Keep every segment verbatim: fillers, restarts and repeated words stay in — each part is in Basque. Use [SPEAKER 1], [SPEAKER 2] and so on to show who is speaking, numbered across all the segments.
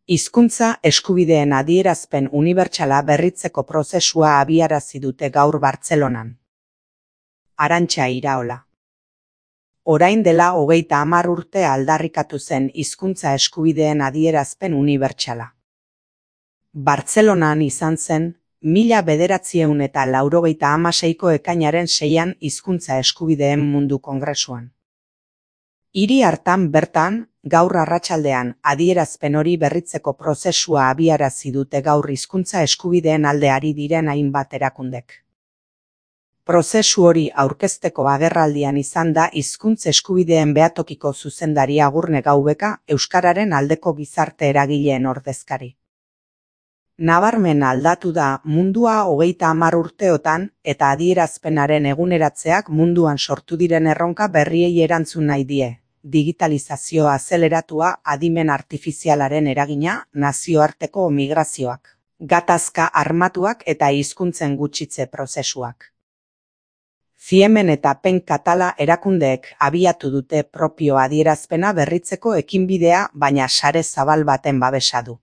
[SPEAKER 1] Hizkuntza eskubideen adierazpen unibertsala berritzeko prozesua abiarazi dute gaur Bartzelonan. Arantxa Iraola. Orain dela hogeita hamar urte aldarrikatu zen hizkuntza eskubideen adierazpen unibertsala. Bartzelonan izan zen, mila bederatziehun eta laurogeita hamaseiko ekainaren seian hizkuntza eskubideen mundu kongresuan. Hiri hartan bertan, gaur arratsaldean adierazpen hori berritzeko prozesua abiarazi dute gaur hizkuntza eskubideen alde ari diren hainbat erakundek. Prozesu hori aurkezteko agerraldian izan da hizkuntza eskubideen behatokiko zuzendari Agurne Gaubeka euskararen aldeko gizarte eragileen ordezkari. Nabarmen aldatu da mundua hogeita hamar urteotan eta adierazpenaren eguneratzeak munduan sortu diren erronka berriei erantzun nahi die. Digitalizazioa azeleratua, adimen artifizialaren eragina, nazioarteko migrazioak, gatazka armatuak eta hizkuntzen gutxitze prozesuak. Ziemen eta Pen Katala erakundeek abiatu dute propio adierazpena berritzeko ekinbidea, baina sare zabal baten babesa du.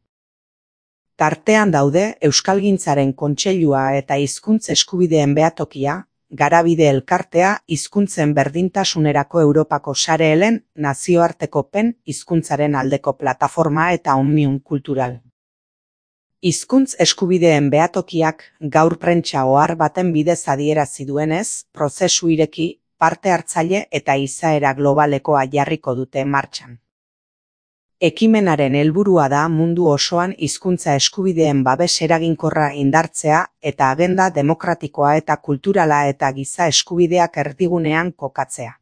[SPEAKER 1] Tartean daude Euskalgintzaren Kontseilua eta hizkuntz eskubideen behatokia, Garabide Elkartea, hizkuntzen berdintasunerako Europako sare helen, nazioarteko Pen hizkuntzaren aldeko plataforma eta Omnium Kultural. Hizkuntz eskubideen behatokiak gaur prentsa ohar baten bidez adierazi duenez, prozesu ireki, parte hartzaile eta izaera globalekoa jarriko dute martxan. Ekimenaren helburua da mundu osoan hizkuntza eskubideen babes eraginkorra indartzea eta agenda demokratikoa eta kulturala eta giza eskubideak erdigunean kokatzea.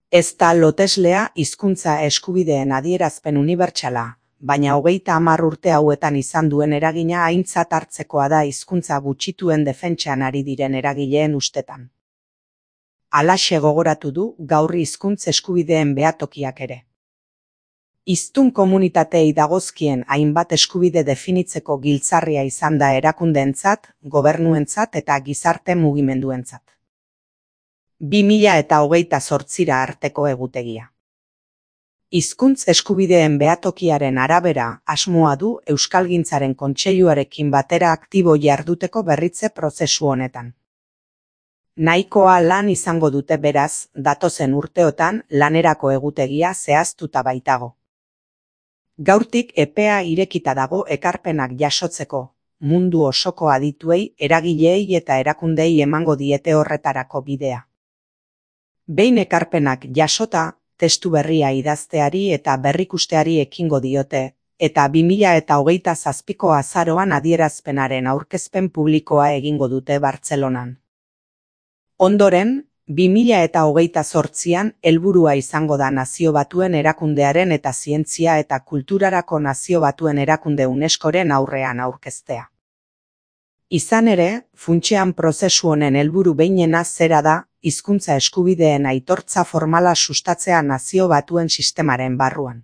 [SPEAKER 1] Ez da loteslea hizkuntza eskubideen adierazpen unibertsala, baina hogeita hamar urte hauetan izan duen eragina aintzat hartzekoa da hizkuntza gutxituen defentsan ari diren eragileen ustetan. Halaxe gogoratu du gaur hizkuntz eskubideen behatokiak ere. Hiztun komunitatei dagozkien hainbat eskubide definitzeko giltzarria izan da erakundeentzat, gobernuentzat eta gizarte mugimenduentzat. bi mila eta hogeita zortzira arteko egutegia. Hizkuntz eskubideen behatokiaren arabera asmoa du Euskalgintzaren Kontseiluarekin batera aktibo jarduteko berritze prozesu honetan. Nahikoa lan izango dute beraz, datozen urteotan lanerako egutegia zehaztuta baitago. Gaurtik epea irekita dago ekarpenak jasotzeko, mundu osoko adituei, eragileei eta erakundei emango diete horretarako bidea. Behin ekarpenak jasota, testu berria idazteari eta berrikusteari ekingo diote, eta bi mila eta hogeita zazpiko azaroan adierazpenaren aurkezpen publikoa egingo dute Bartzelonan. Ondoren, bi mila eta hogeita zortzian helburua izango da Nazio Batuen Erakundearen eta Zientzia eta Kulturarako Nazio Batuen Erakunde UNESCOren aurrean aurkeztea. Izan ere, funtsean prozesu honen helburu behinena zera da, hizkuntza eskubideen aitortza formala sustatzea Nazio Batuen sistemaren barruan.